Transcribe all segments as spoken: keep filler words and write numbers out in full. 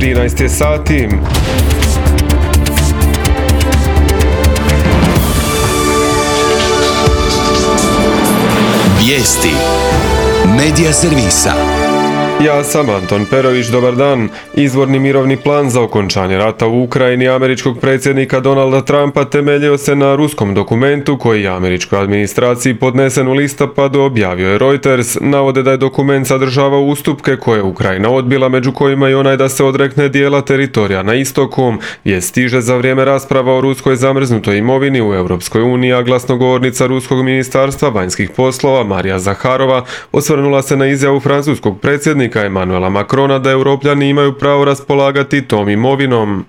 trinaest je sati. Vijesti Medija servisa. Ja sam Anton Perović, dobar dan. Izvorni mirovni plan za okončanje rata u Ukrajini američkog predsjednika Donalda Trumpa temeljio se na ruskom dokumentu koji je američkoj administraciji podnesen u listopadu, objavio je Reuters. Navode da je dokument sadržavao ustupke koje je Ukrajina odbila, među kojima i onaj da se odrekne dijela teritorija na istoku. Vijest stiže za vrijeme rasprava o ruskoj zamrznutoj imovini u Europskoj uniji, a glasnogovornica ruskog ministarstva vanjskih poslova Marija Zaharova osvrnula se na izjavu francuskog predsjednika Emanuela Macrona da Europljani imaju pravo raspolagati tom imovinom.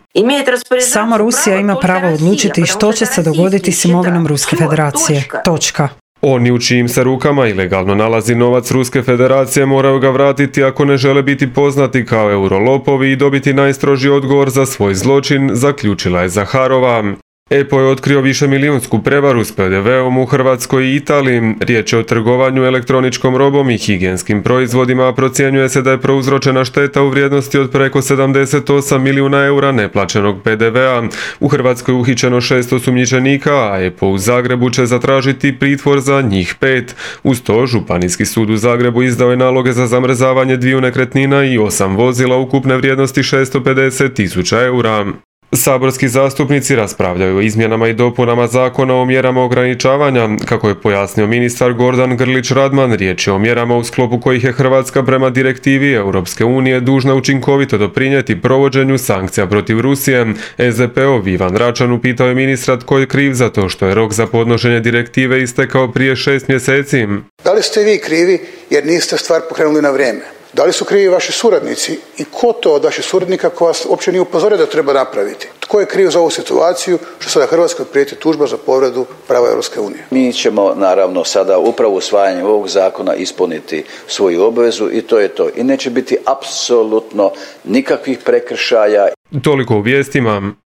Samo Rusija ima pravo odlučiti što će se dogoditi s imovinom Ruske federacije. Točka. Oni u čijim se rukama ilegalno nalazi novac Ruske federacije moraju ga vratiti ako ne žele biti poznati kao eurolopovi i dobiti najstrožiji odgovor za svoj zločin, zaključila je Zaharova. E P O je otkrio višemilijunsku prevaru s P D V-om u Hrvatskoj i Italiji. Riječ je o trgovanju elektroničkom robom i higijenskim proizvodima, a procjenjuje se da je prouzročena šteta u vrijednosti od preko sedamdeset osam milijuna eura neplaćenog P D V-a. U Hrvatskoj je uhićeno šest osumnjičenika, a E P O u Zagrebu će zatražiti pritvor za njih pet. Uz to, Županijski sud u Zagrebu izdao je naloge za zamrzavanje dviju nekretnina i osam vozila ukupne vrijednosti šesto pedeset tisuća eura. Saborski zastupnici raspravljaju o izmjenama i dopunama zakona o mjerama ograničavanja. Kako je pojasnio ministar Gordan Grlić Radman, riječ je o mjerama u sklopu kojih je Hrvatska prema direktivi Europske unije dužna učinkovito doprinijeti provođenju sankcija protiv Rusije. S D P-ov Ivan Račan upitao je ministra tko je kriv za to što je rok za podnošenje direktive istekao prije šest mjeseci. Da li ste vi krivi jer niste stvar pokrenuli na vrijeme? Da li su krivi vaši suradnici i ko to od vaših suradnika ko vas uopće nije upozorio da treba napraviti? Tko je kriv za ovu situaciju što sada Hrvatskoj prijeti tužba za povredu prava Europske unije? Mi ćemo naravno sada upravo usvajanjem ovog zakona ispuniti svoju obvezu i to je to. I neće biti apsolutno nikakvih prekršaja. Toliko u vijestima.